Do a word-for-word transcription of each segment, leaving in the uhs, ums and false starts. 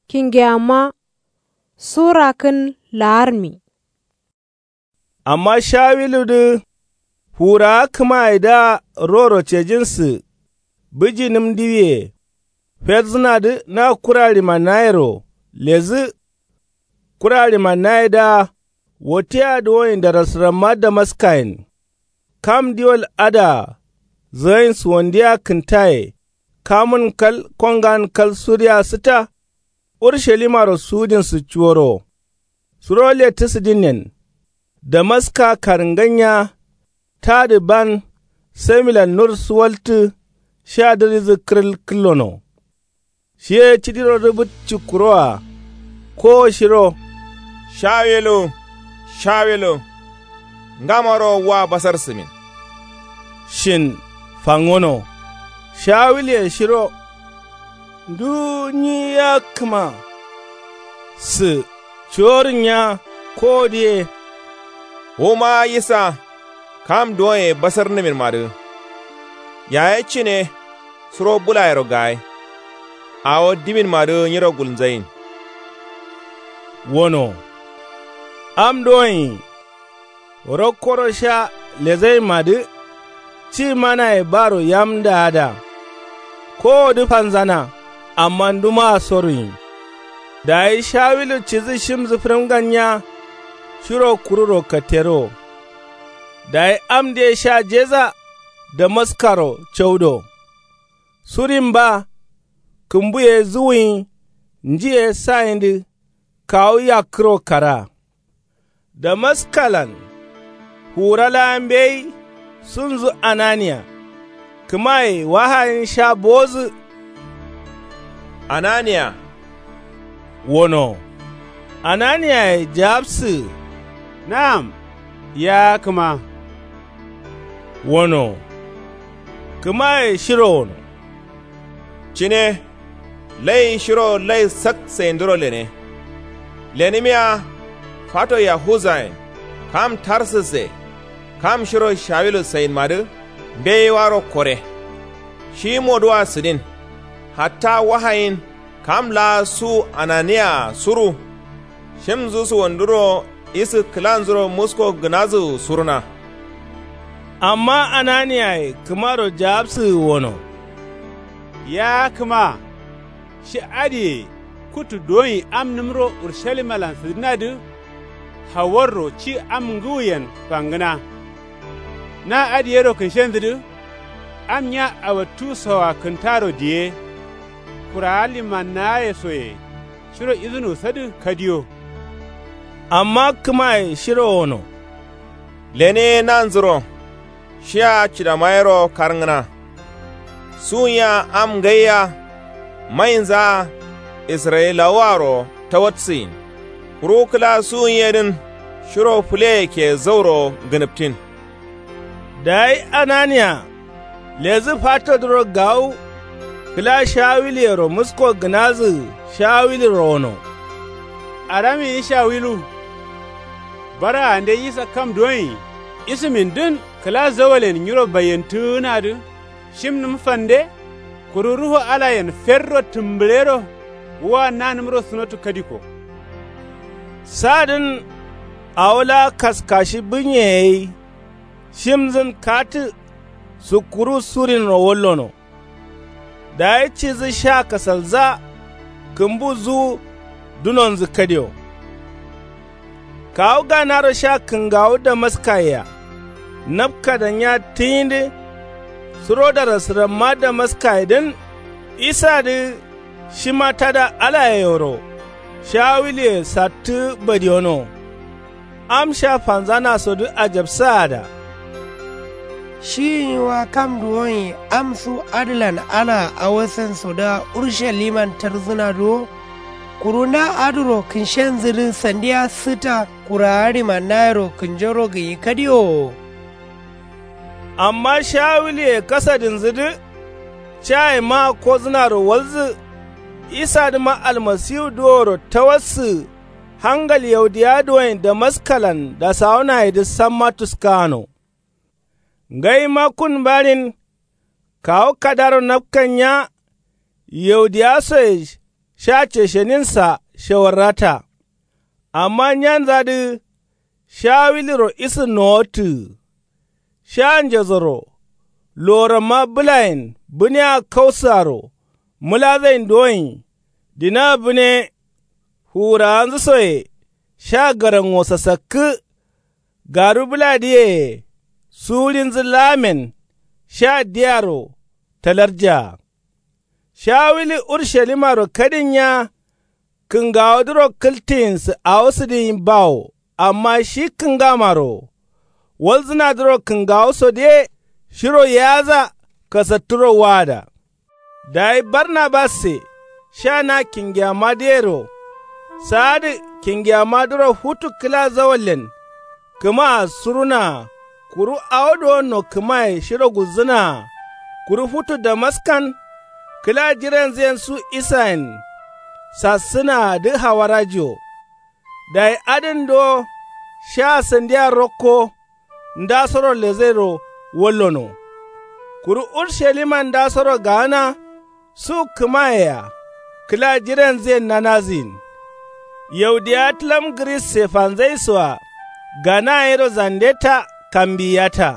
Kingeyamma su rakkǝn la'armi. Amma shawiludǝ fuwurawa kǝmayedǝa roro cejinsǝ bǝjinǝm diwiye ferzǝnadǝ na kura ɍimanayero ledǝ. Kura ɍimanayedǝa wottea duwoin darasǝramma damaskayen kam diwal adǝa zǝgain suwandiyea kǝntaye kamun kal kongan kal suriya sǝtta. Urushalimaro sudinsǝ cuworowo suro lettǝsǝdǝnnen. Damaska karǝnganya tadǝ ban samilan nur suwaltǝ sha dǝridǝ kǝrǝl kǝllono. Shiye cidiro rǝbǝt cikkuroa kowo shiro, shawilu, shawilu, ngamaro wa basar sǝmin? Shin fangono shawilye shiro ndu nyi ya kǝma sǝ cuworǝnya kowodǝ ye. Wuma yisa kam duwoye basarnǝminmadǝ yaye cine suro bulayero gaye. Awo diminmadǝ nyiro gulnzayin. Wono am duwoin rokkoro sha lezainmadǝ ci manaye baro yamdaada. Kowodǝ fanzana amma ndumaa soruyin. Dayi shawilu cidǝ shimdǝ fǝrǝmganya shiro kururo katteruwo. Dayi amdǝye sha jeza damaskaro caudo. Surin ba kǝmbuye zuwuyin njiye sayindǝ kawu yakkǝro kara. Damaskalan fuwura laa mbeyi sunzǝ ananiya kǝmaye wahayin sha bowodǝ. Ananiya wono. Ananiyaye jawabsǝ. Na'am, ya kǝma. Wono kǝmaye shiro wono. Cine lai shiro lai sak sainduro lene. Lenǝmiya fato yahuzayen kam tarsǝsse kam shiro shawilu sainmadǝ mbeyiwaro kore. Shi moduwa sǝdin hatta wahayin kam laa su ananiyaa suru. Shimnzu suwanduro isǝ kǝlanzuro musko gǝnazǝ surna. Amma ananiyaye kǝmaro jawabsǝ wono. Ya kǝma shi adǝye kuttu duwoin amnǝmro urshalimalan sǝdǝnadǝ hawarro ci am ngǝwuyen fangǝna. Na adǝyero kǝnshenjǝdǝ am nya awattu sowa kǝntaro diye. Kurawa limannaye soye shiro izǝnu sadǝ kadiyo. Amma kǝmaye shiro wono. Lene ye nanzuro shiya cidamayero karngǝna. Suwunya am ngaiya mainzaa israyilawuwaro tawatsǝyin. Kuru kǝla suwun yedǝn shiro fǝleye ke zauro gǝnǝptin. Dayi ananiya ledǝ fatodǝro gawu kǝla shawiluyero musko gǝnazǝ shawiluro wono. Aramiyi shawilu. Bara ande yisa kam duwoin isǝmindǝn kǝla zawalen nyiro baiyentǝgǝnadǝ shimnǝm fande. Kuru ruhu alayen ferro tǝmbǝɍero wa nanǝmro sunotu kadiko. Sadǝn awo laa kaskashi bǝnye gai shimnzǝn katǝ sukkuru surinro wallono. Dayi cidǝ sha kasalza kǝmbu zuwu dunonzǝ kadiyo. Kawu ganaro sha kǝngawu damaskayea napkadanya tiyindǝ suro darasǝramma damaskayedǝn isadǝ shima tada alayeyero shawuluye sattǝ badiyono. Am sha fanzanasodǝ ajabsaada. Shiyin wa kam duwoin am su adǝlan alaa awo sensodǝa urshaliman tarzǝnadǝ wo. Kuru na adǝro kǝnshenzǝdǝ sandiya sǝta kurawa ɍimannayero kǝnjoro gǝnyi kadiyo wo. Amma shawuluye kasadinzǝdǝ caye maa kodzǝnaro walzǝ. Isadǝma almasiwudǝ woro tawassǝ hangal yaudiya duwoin damaskalan dasawunayedǝ samma tuskagano. Ngaima kun mbaɍin kawu kadaro napkanya yaudiya soye. Sha cesheninsa shewarrata. Amma nyanzadǝ sha wiliro isǝ nowottǝgǝ. Sha njezoro loramma bǝlayen bǝnea kausǝaro mǝlazain doin. Dina bǝne fuwurawanzǝ soye sha garango sasakkǝ. Garu bǝladǝyeye suwurinzǝ laamen sha diyaro talarjaa. Sha wili urushalimaro kadin nya kǝngawodǝro kǝltǝyinsǝ awo sǝdǝyin bawo. Amma shi kǝngamaro wo walzǝnadǝro kǝngawosodǝye shiro yaza kasatturo waada. Dayi barnabasse sha na kingiyammadǝyero saadǝ kingiyammadǝro futu kǝla zawallen kǝmaa surunaa. Kuru awo duwonno kǝmaye shiro gulzǝnaa. Kuru futu damaskan kǝla jiranzǝyen su isayen sassǝnaadǝ hawarajiwo. Dayi adǝn duwo sha sandiya rokko ndasoro lezairo wallono. Kuru urushalima ndasoro gaana su kǝmayea kǝla jiranzǝyen nanazǝyin. Yaudiya tǝlam gǝrisse fanzaisoa gana yero zandeta kambiyata.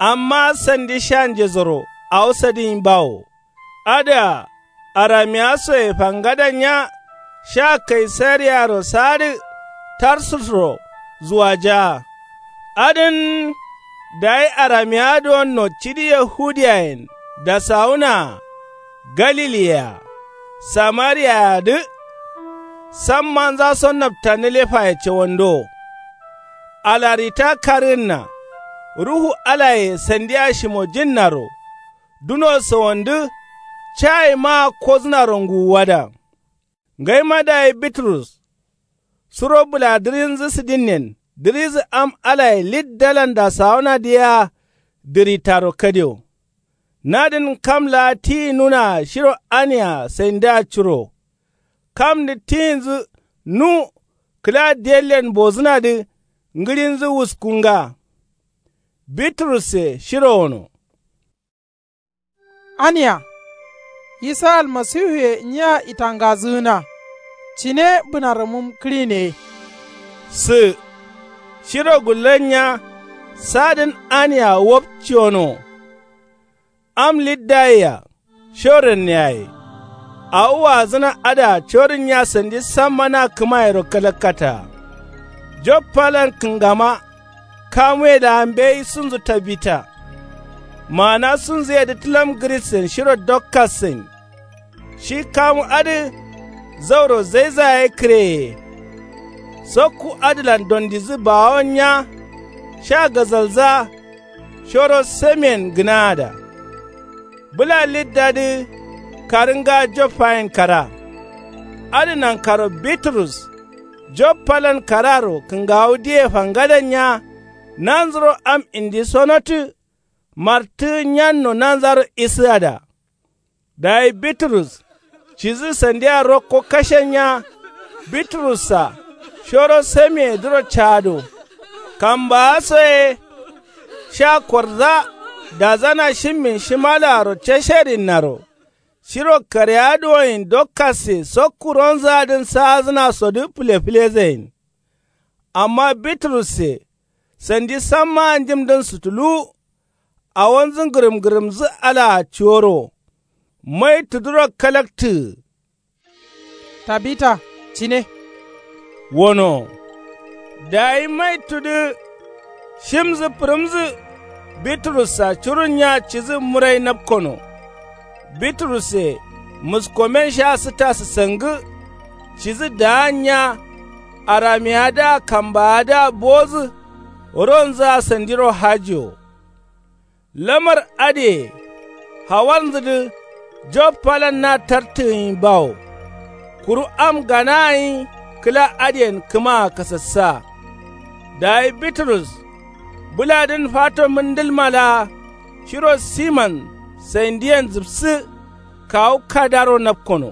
Amma sandi sha njezoro awo sadǝyin bawo. Adǝa aramiya soye fangadan nya sha kaisariyaro saadǝ tarsusro zuwajaa. Adǝn dayi aramiya duwonno cidi yahudiyayen dasawunaa galiliyea samariyayedǝ. Sammanza so naftanilefaye cawando alarita karǝgǝnna ruhu alaye sandiya shimojinnaro duno sawandǝ cayi maa kozǝnaro nguwuwada. Ngaima dayi bitrus suro bǝla dǝrinzǝ sǝdinen dǝrizǝ am alaye liddalan dasawunadǝ yea dǝritaro kadio. Nadǝn kam laa tiyi nunaa shiro ania saindǝa curo. Kamdǝ tiyinzǝ nu kǝla diyallen bozǝnadǝ ngǝɍinzǝ wuskunga. Bitrusse shiro wono. Ania isa almasiwuye nyiya itangazǝgǝna. Cine bǝnaramum kǝɍine. Sǝ shiro gullan nya sadǝn ania wapciyono. Am liddayea shorenneyaye. Awo waazǝna adǝa corin nya sandi samma na kǝmayero kalakkataa. Joppalan kǝngama kamuye laa mbeyi sunzu tabita. Maana sunzuyedǝ tǝlam gǝrisen shiro dokkassain. Shi kamu adǝ zauro zaiza ye kǝreye. Sokku adǝlan dondizǝ baawon nya sha gazalza shoro samiyen gǝnaada. Bǝla liddadǝ karǝnga joppayen kara. Adǝ nankaro bitrus joppalan kararo kǝngawudǝye fangadan nya nanzuro am indi sonotǝ martǝgǝ nyanno nanzaro isǝada. Dayi bitrus cidǝ sandiya rokko kashen nya. Bitrussa shoro samiyedǝro caado. Kambaaso ye sha korza dazana shimmin shimalaaro casherinnaro shiro kareya duwoyin dokkasse sokku ronzǝadǝn saazǝnasodǝ fǝlefǝlezayin. Amma bitrusse sandi sammaa njǝmdǝn sutuluwu. Awonzǝ ngǝrǝmngǝrǝmzǝ alaa cuworo mai tuduro kalaktǝgǝ. Tabita cine. Wono dayi mai tudǝ shimzǝ fǝrǝmzǝ. Bitrussa curun nya cidǝ murai napkono. Bitrusse muskomen sha sǝta sǝsangǝ. Cidǝ daan nya aramiyadǝa kambaadǝa bowodǝ. Ronzǝa sandiro hajiwo. Lamar adǝye hawarnzǝdǝ joppalan na tartǝgǝnyi bawo. Kuru am gana gǝnyi kǝla adǝyen kǝmaa kasassa. Dayi bitrus bǝladǝn fato mǝndǝlma laa shiro siman saindiyen zǝpsǝ kawu kadaro napkono.